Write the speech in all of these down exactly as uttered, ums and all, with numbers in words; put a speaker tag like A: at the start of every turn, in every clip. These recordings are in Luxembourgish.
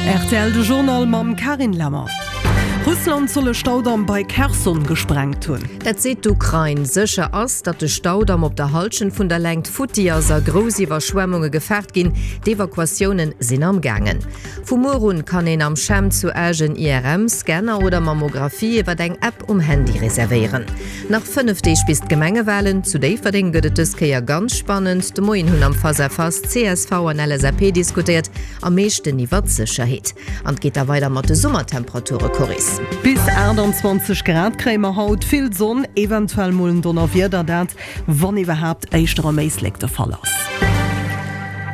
A: Rtl de Journal mam Carine Lemmer. Russland soll e Staudamm bei Kherson gesprengt hunn.
B: Dat seet d'Ukrain. Sécher ass, datt de Staudamm op der Hallschent vun der Längt futti ass a grouss Iwwerschwemmunge gefaart ginn. D'Evakuatioune sinn am gaangen. Vu muer un kann een am CHEM zu Esch en I R M-Scanner oder Mammographie iwwer eng App um Handy reservéieren. Nach fënnef Deeg bis d'Gemengewalen. Zu Déifferdeng gëtt et dës Kéier ganz spannend. De Moien hunn am Face-à-Face C S V an L S A P diskutéiert, am meeschten iwwer d'Sécherheet. An et geet da weider mat de Summertemperature, Coris.
A: Bis achtundzwanzeg Grad kréie mer haut, vill Sonn, eventuell mol en Donnerwieder, dat, wann iwwerhaapt, éischter am Éislek de Fall ass.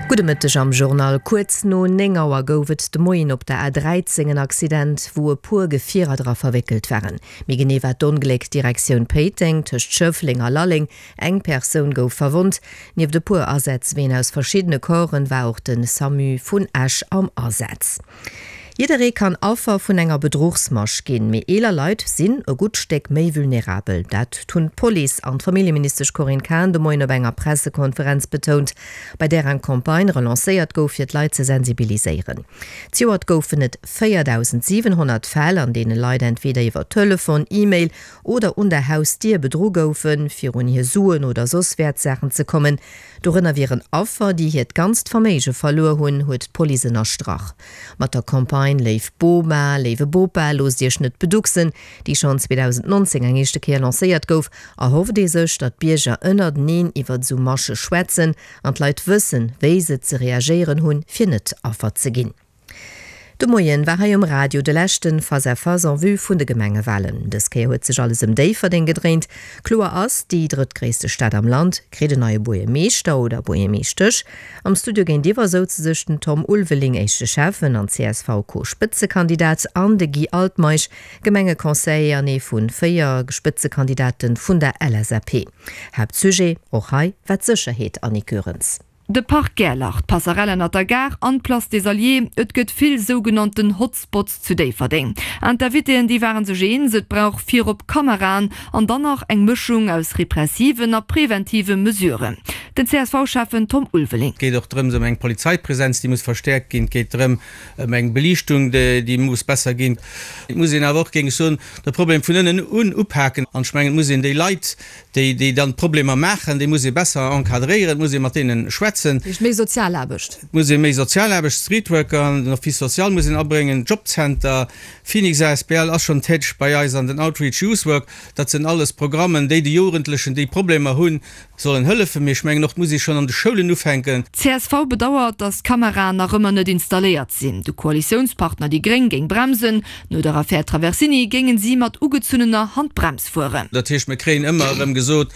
B: Gudde Mëtteg am Journal. Kuerz no néng Auer gouf et de Moien op der A dräizéng en Accident, wou e puer Gefierer dra verwéckelt waren. Méi genee war d'Ongléck Direktioun Péiteng tëscht Schëffleng a Lalleng. Eng Persoun gouf verwonnt. Nieft e puer Asätz-Ween aus verschiddene Corpsen war och den SAMU vun Esch am Asaz. Jidderee kann Affer vun enger Bedruchsmasch ginn, mee eeler Leit sinn e gutt Stéck méi vulnerabel. Dat hunn d'Police an d'Familljeministesch Corinne Cahen de Moien op enger Pressekonferenz betount, bei där eng Campagne relancéiert gouf, fir d'Leit ze sensibiliséieren. Zejoert goufen et véierdausendsiwenhonnert Fäll, an deene Leit entweder iwwer Telefon, E-Mail oder un der Hausdier bedru goufen, fir un hir Suen oder soss Wäertsaachen ze kommen. Dorënner wieren Affer, déi hiert ganzt Verméige verluer hunn, huet d'Police ënnerstrach. Mat der Campagne Léif Boma, léiwe Bopa, loosst Iech net beduxen, déi schonn zweedausendnonzéng eng éischte Kéier lancéiert gouf, erhofft ee sech, datt d'Bierger ënnerteneen iwwer esou Masche schwätzen an d'Leit wëssen, wéi se ze reagéieren hunn, fir net Affer ze ginn. De Moien war hei um Radio de leschten Face-à-Face en vue vun de Gemengewalen. Dës Kéier huet sech alles ëm Déifferdeng gedréint. Kloer ass, déi drëttgréisste Stad am Land kritt en neie Buergermeeschter oder Buergermeeschtesch. Am Studio géintiwwer souze sech den Tom Ulveling, éischte Schäffen an C S V-Co-Spëtzekandidat, an de Guy Altmeisch, Gemengeconseiller an ee vun véier Spëtzekandidaten vun der L S A P. Haaptsujet och hei war d'Sécherheet, Annick Goerens.
C: De Park Gerlach, d'Passerelle ënner der Gare an d'Place des Alliés, et gëtt vill sougenannten Hotspots zu Déifferdeng. An d'Invitéen, déi waren sech eens, et brauch virop Kameraen an dann nach eng Mëschung aus repressiven a preventive Mesuren. Den C S V-Chefen Tom Ulveling.
D: Et geet och drëms ëm eng Polizeipräsenz, déi muss verstärkt ginn. Et geet drëm ëm eng Beliichtung, déi muss besser ginn. Et muss een awer och, géing ech soen, de Problem vun ënnen un upaken. An ech mengen, et muss een déi Leit, déi, déi dann d'Problemer maachen, déi muss ee besser encadréieren, et muss ee mat deenen schwätzen.
C: Heescht méi Sozialaarbecht.
D: Et muss ee méi Sozialaarbecht, Streetworker, den Office social muss een abréngen, Jobcenter, Phoenix A S B L ass schonn täteg bei eis an den Outreach Youth Work. Dat sinn alles Programmen, déi de Jugendlechen, déi Problemer hunn, sollen hëllefen. Mee ech mengen och, et muss ee schonn an de Schoulen ufänken.
C: D C S V bedauert, datt d'Kameraen nach ëmmer net installéiert sinn. De Koalitiounspartner déi Gréng géing bremsen. No der Affär Traversini géingen si mat ugezunnener Handbrems fueren.
D: Dat heescht, mir kréien ëmmer erëm gesot,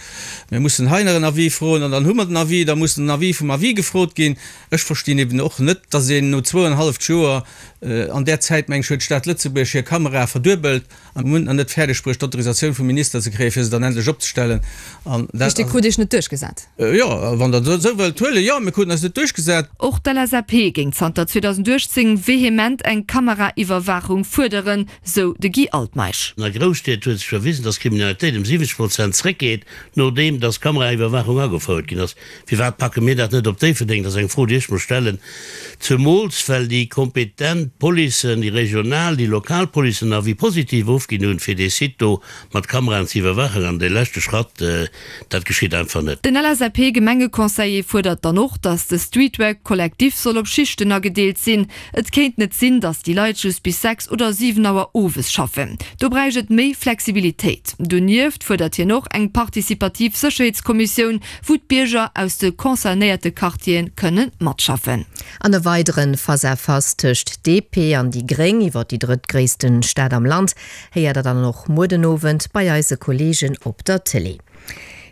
D: mir mussen hei nach en Avis froen an dann hu mer den Avis, da muss den Avis vum Avis gefrot ginn. Ech verstinn eben och net, datt een no zwoueinhalb Joer, äh, an der Zäit, meng ech, huet d'Stad Lëtzebuerg hir Kamera verduebelt an hunn nach net fäerdeg bruecht, d'Autorisatioun vum Minister ze kréien, fir se dann endlech opzestellen. An dat
C: Heescht, Dir krut Iech net duerchgesat?
D: Äh, jo, wann der esou wëllt huelen, jo, mir kruten eis net duerchgesat.
C: Och d'L S A P géing zanter zweedausendachtzéng vehement eng Kameraiwwerwaachung fuerderen, sou de Guy Altmeisch.
E: An der Grousstied huet sech verwiesen, dass Kriminalitéit ëm siwwenzeg Prozent zréckgeet, nodeem dass Kameraiwwerwaachung agefouert ginn ass. Firwat packe mir dat net op Déifferdeng? Dat ass eng Fro, déi ech mir stellen. Zemools, well déi kompetent Policen, déi regional, déi lokal Policen Avis positiv ofginn hunn, fir dee Site do mat Kameraen ze iwwerwachen. An de leschte Schratt, äh, dat geschitt einfach net.
C: Den L S A P-Gemengeconseiller fuerdert dann och, dass de Streetwork kollektiv soll op Schichten agedeelt sinn. Et kéint net sinn, dass déi Leit just bis sechs oder siwen Auer owes schaffen. Do bräicht et méi Flexibilitéit. Donieft fuerdert hien och eng partizipativ Sécherheetskommissioun, wou d'Bierger aus de concernéierte Quartieren kënnen matschaffen.
B: An e weideren Face-à-Face tëscht D P an déi Gréng iwwer déi drëttgréissten Stad am Land héiert der dann och muer den Owend bei eise Kollegen op der Télé.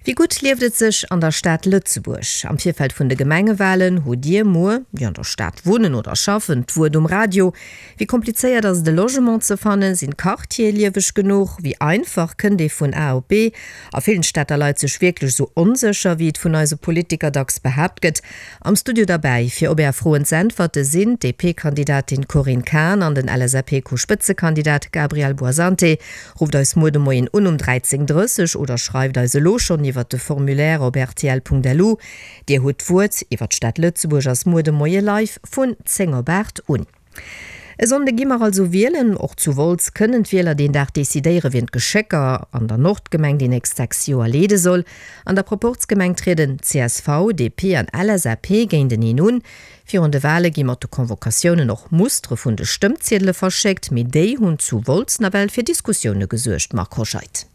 B: Wie gutt lieft et sech an der Stad Lëtzebuerg? Am Virfeld vun de Gemengewalen hutt Dir muer, déi an der Stad wunnen oder schaffen, d'Wuert um Radio. Wie komplizéiert ass de Logement ze fannen, sinn d'Quartiere lieweg genuch, wie einfach kënnt ee vun A op B? A villen Städter Leit sech wierklech so onsécher, wéi et vun eise Politiker dacks behaapt gëtt. Am Studio dabei, fir op Är Froen ze äntwerte sinn D P-Kandidatin Corinne Cahen an den L S A P-Co-Spëtzekandidat Gabriel Buonsanti. Ruft eis muer de Moien un um dreizéng drësseg oder schreift eis elo schonn iwwer de Formulaire op R T L punkt L U. Dir hutt d'Wuert iwwer d'Stad Lëtzebuerg ass muer de Moie live vun zéng op acht un. E Sonnde gi mer also wielen. Och zu Wolz kënnen d'Wieler deen Dag decidéieren, wien d'Geschécker an der Nordgemeng déi nächst sechs Joer leede soll. An der Proporzgemeng trieden csv, DP an LSAP géinteneen un. Virun de Wale gi mat de Convocatiounen och Mustere vun de Stëmmziedele verschéckt, mee déi hunn zu Wolz nawell fir Diskussioune gesuergt, Marc Hoscheid.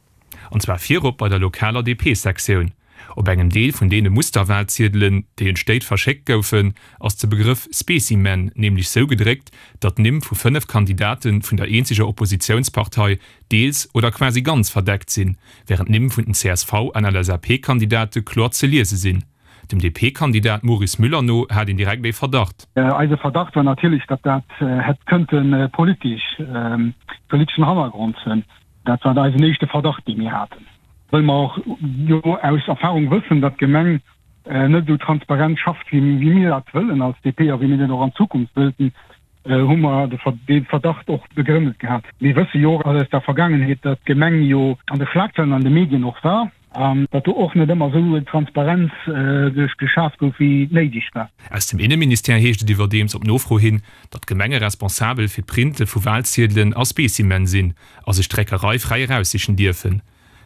F: An zwar virop bei der lokaler D P-Sektioun. Op engem Deel vun deene Musterwalziedelen, déi un d'Stéit verschéckt goufen, ass de Begrëff Specimen nämlech sou gedréckt, datt d'Nimm vu fënnef Kandidate vun der eenzeger Oppositiounspartei deels oder quasi ganz verdeckt sinn, wärend d'Nimm vun den C S V an L S A P-Kandidate kloer ze liese sinn. Dem D P-Kandidat Maurice Müller no hat een direkt ee Verdacht.
G: Eise Verdacht war natierlech, datt dat hätt kënnte politesch, politeschen Hannergrond hunn. Dat war eisen éischte Verdacht, dee mir haten. Well mer och jo aus Erfahrung wëssen, datt d'Gemeng net esou transparent schafft, wéi mir dat wëllen als D P a wéi mir dat och an Zukunft wëllten, hu mer dee Verdacht och begrënnet gehat. Mir wësse jo och aus der Vergaangenheet, datt d'Gemeng jo an de Schlagzeilen an de Medien och war an datt do och net ëmmer esou Transparenz geschaaft gouf, wéi néideg war.
F: Aus dem Inneministère heescht et iwwerdeems op Nofro hin, datt d'Gemenge responsabel fir d'Printe vu Walziedelen a Specimen sinn a sech d'Dréckerei fräi eraussichen dierfen.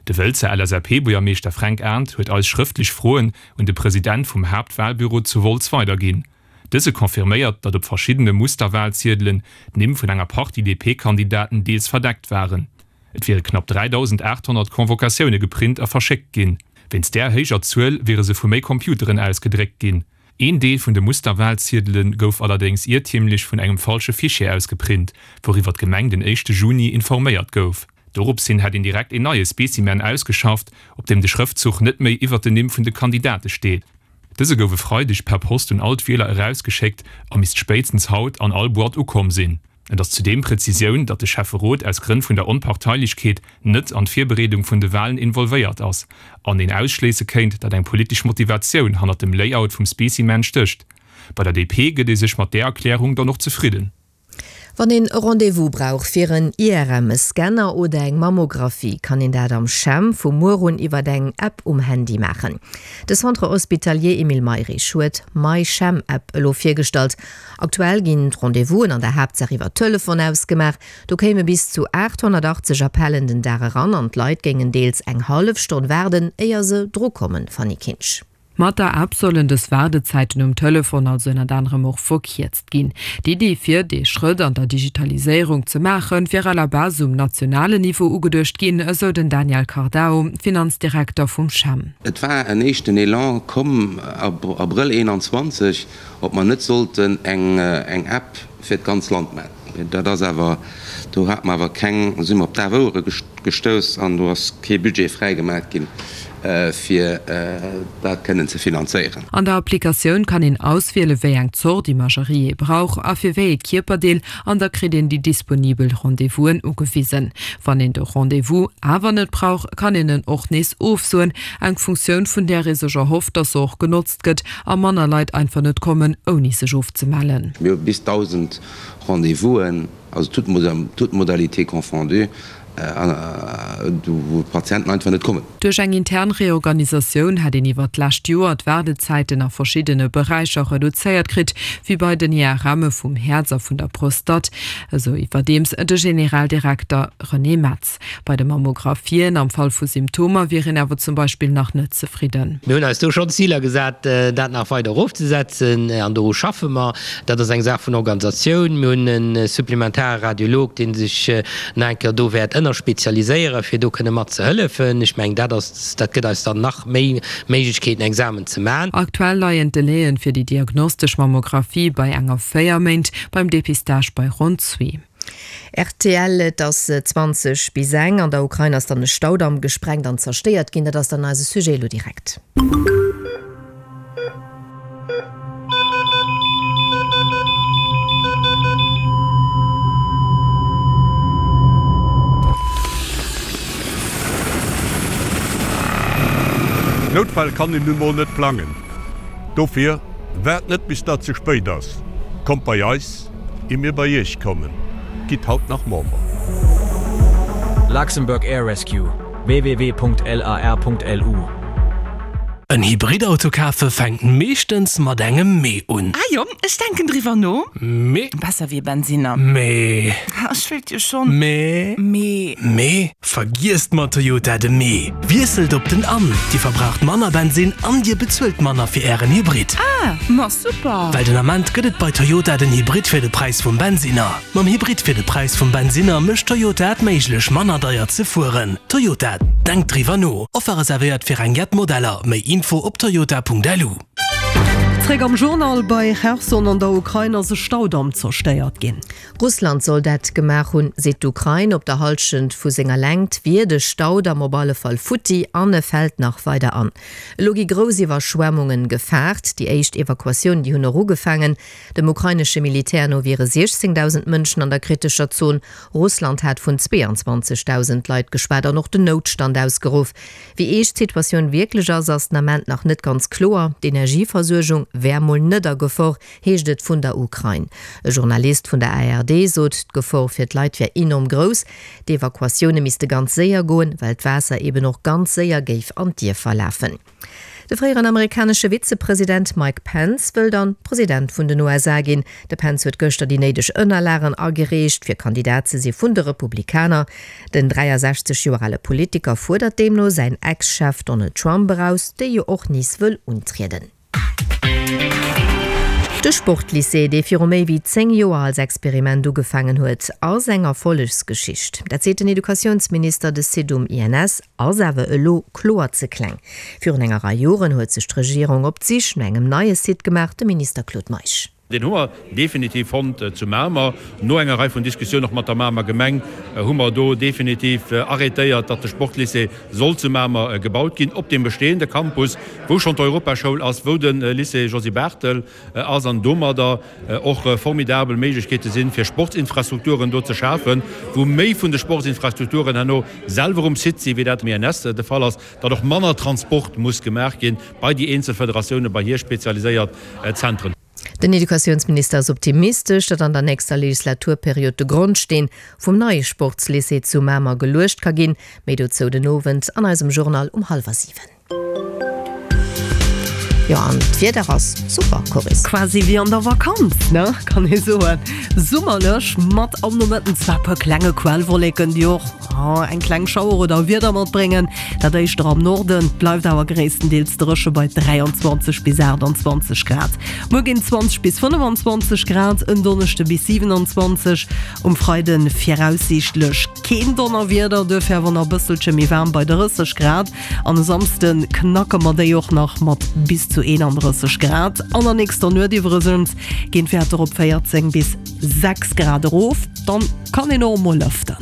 F: De Wëlzer L S A P-Buergermeeschter Fränk Arndt huet eis schrëftlech Froen un de President vum Haaptwalbüro zu Wolz weiderginn. Dëse confirméiert, datt op verschiddene Musterwalziedelen d'Nimm vun enger Partie D P-Kandidaten deels verdeckt waren. Et wiere knapp dräidausendaathonnert Convocatioune geprint a verschéckt ginn. Wéinst där héijer Zuel wiere se vu méi Computeren aus gedréckt ginn. Een Deel vun de Musterwalziedele gouf allerdéngs iertiermlech vun engem falsche Fichier aus geprint, wouriwwer d'Gemeng den éischte Juni informéiert gouf. Doropshin hätt een direkt een neie Specimen ausgeschafft, op deem de Schrëftzuch net méi iwwert den Nimm vun de Kandidate steet. Dëse gouf e Freideg per Post un all d'Wieler erausgeschéckt a misst spéitstens haut an all Boîte ukomm sinn. Et ass zudeem d'Präzisioun, datt de Schäfferot aus Grënn vun der Onparteilechkeet net an d'Virbereedung vun de Walen involvéiert ass an een ausschléisse kéint, datt eng politesch Motivatioun hannert dem Layout vum Specimen stécht. Bei der D P gëtt ee sech mat där Erklärung dann och zefridden.
B: Wann een e Rendez-vous brauch fir en I R M, e Scanner oder eng Mammographie, kann een dat am CHEM vu muer un iwwer eng App um Handy maachen. De Centre Hospitalier Emile Mayrisch huet d'MyChem-App elo virgestallt. Aktuell ginn d'Rendez-vousen an der Haaptsaach iwwer Telefon ausgemaach. Do kéime bis zu aathonnertachtzeg Appellen den Dag eran an d'Leit géingen deels eng hallef Stonn waarden, éier se drukommen, Fanny Kinsch.
H: Mat der App sollen dës Waardezäiten um Telefon also ënnert anerem och verkierzt ginn. D'Iddi fir dee Schrëtt an der Digitaliséierung ze maachen, wier à la base um nationalen Niveau ugeduecht ginn, esou den Daniel Cardao, Finanzdirekter vum CHEM.
I: Et war en éischten Elan komm Abrëll eenanzwanzeg, ob mer net sollten eng App fir d'ganz Land maachen. Dat ass awer, do hate mer awer keng, do si mer op daf Ouere gestouss an do ass kee Budget fräigemaach ginn, fir dat kënnen ze finanzéieren.
H: An der Applikatioun kann een auswiele wéi eng Zort Imagerie ee brauch a fir wéi ee Kierperdeel an da kritt een déi disponibel Rendez-vousen ugewisen. Wann een de Rendez-vous awer net brauch, kann een en och nees ofsoen, eng Funktioun vun där ee sech erhofft, datt se och genotzt gëtt a manner Leit einfach net kommen, ouni sech ofzemellen.
I: Mir hu bis dausend Rendez-vousen, also toutes modalités confondues, wou d'Patienten einfach net kommen.
H: Duerch eng intern Reorganisatioun hätt een iwwer d'lescht Joer d'Waardezäiten a verschiddene Beräicher reduzéiert kritt, wéi bei den I R Mme vum Häerz a vun der Prostate, esou iwwerdeems de Generaldirekter René Metz. Bei de Mammographien am Fall vu Symptomer wier een awer zum Beispill nach net zefridden.
J: Mir hunn eis do schonn Ziler gesat, dat nach weider erofzesetzen, an doru schaffe mer. Dat ass eng Saach vun Organisatioun. Mir hunn e supplementare Radiolog, dee sech nach eng Kéier do wäert ënnerspezialiséieren, fir do kënne mat ze hëllefen. Ech mengen, dat ass, dat gëtt eis dann nach méi Méiglechkeeten, Examen ze man.
H: Aktuell leien d'Delaien fir déi diagnostesch Mammographie bei enger véier Méint, beim Depistage bei ronn zwee.
B: R T L, Et ass zwanzeg bis eng. An der Ukrain ass dann e Staudamm gesprengt an zerstéiert ginn. Dat ass dann eise Sujet elo direkt.
K: Noutfäll kann een nun mol net plangen. Dofir, waart net bis dat ze spéit ass. Kommt bei eis, ier mir bei iech kommen. Gitt haut nach Member.
L: Luxembourg Air Rescue, W W W Punkt L A R Punkt L U. En Hybridauto kafe fänkt meeschtens mat engem Mee un.
M: Ah jo, ech denken driwwer no.
L: Mee.
M: Besser wéi e Bensinner.
L: Mee.
M: Ech wéilt jo schonn.
L: Mee.
M: Mee.
L: Mee. Vergiesst mat Toyota de Mee! Wiesselt op den an, Dir verbraucht manner Bensinn an Dir bezuelt manner fir Ären Hybrid.
M: Ah, ma super!
L: Well den Ament gëtt et bei Toyota den Hybrid fir de Präis vum Bensinner. Mam Hybrid fir de Präis vum Bensinner mécht Toyota et méiglech manner deier ze fueren. Toyota, denkt driwwer no! Offer reservéiert fir eng jett Modeller. Méi Info op toyota.lu.
A: Zréck am Journal, Bei Cherson an der Ukrain ass e Staudamm zerstéiert ginn.
B: Russland soll dat gemaach hunn, seet d'Ukrain. Op der Hallschent vu senger Längt wier de Staudamm op alle Fall futti an e fält nach weider an. Elo gi grouss Iwwerschwemmungen gefaart. Déi éischt Evakuatiounen, déi hunn och ugefaangen. Dem ukrainesche Militär no wiere siechzéngdausend Mënschen an der kritescher Zon. Russland hat vun zweeanzwanzegdausend Leit geschwat an och den Noutstand ausgeruff. Wéi eescht d'Situatioun wierklech ass, ass den Ament nach net ganz kloer. D'Energieversuergung wär mol net a Gefor, heescht et vun der Ukrain. E Journalist vun der A R D sot, d'Gefor fir d'Leit wär enorm grouss. D'Evakuatioune misste ganz séier goen, well d'Waasser eben och ganz séier géif an d'Dierfer lafen. De fréieren amerikanesche Vizepresident Mike Pence wëll dann President vun den U S A ginn. De Pence huet gëschter déi néideg Ënnerlagen agereecht, fir Kandidat ze si vun de Republikaner. Den dräiasechzeg Joer ale Politiker fuerdert deemno säin Ex-Chef Donald Trump eraus, dee jo och nees wëll untrieden. De Sportlycée, dee viru méi wéi zéng Joer als Experiment ugefaangen huet, ass eng Erfollegsgeschicht. Dat seet den Educatiounsminister. De Site um I N S ass awer elo kloer ze kleng. Virun enger Rei Joren huet sech d'Regierung op d'Sich no engem neie Site gemaach, de Minister Claude Meisch.
N: Deen hu mer definitiv fonnt zu Mamer. No enger Rei vun Diskussiounen och mat der Mamer Gemeng hu mer do definitiv arrêtéiert, datt de Sportlycée soll zu Mamer gebaut ginn, op deem bestehende Campus, wou schonn d'Europaschoul ass, wou de Lycée Josy Barthel ass an domadder och formidabel Méiglechkeete sinn, fir Sportsinfrastrukturen do ze schafen, wou méi vun de Sportsinfrastrukturen herno selwer um Site sinn, wéi dat um I N S de Fall ass, datt och manner Transport muss gemaach ginn bei déi eenzel Federatiounen, bei hir spezialiséiert Zentren.
B: Den Educatiounsminister ass optimistesch, datt an der nächster Legislaturperiod de Grondsteen vum neie Sportslycée zu Mamer geluecht ka ginn. Méi dozou den Owend an eisem Journal um hallwer siwen. Jo, an d'Wieder ass super, Coris.
A: Quasi wéi an der Vakanz, ne, kann ee soen. Summerlech mat am Nomëtten zwar e puer klenge Quellwolleken, déi och eng kleng Schauer oder Wieder matbréngen, dat éischter am Norden, bleift awer gréisstendeels dréche bei dräianzwanzeg bis aachtanzwanzeg Grad. Muer ginn zwanzeg bis fënnefanzwanzeg Grad, en Donneschde bis siwenanzwanzeg, um Freide viraussiichtlech keen Donnerwieder, duerfir awer nach e bësselche méi waarm bei drësseg Grad an e Samsde knacke mer déi och nach mat bis zu eenandrësseg Grad. An der nächster Nuet iwwregens ginn d'Wäerter op véierzéng bis sechs Grad erof, dann kann een och emol lëften.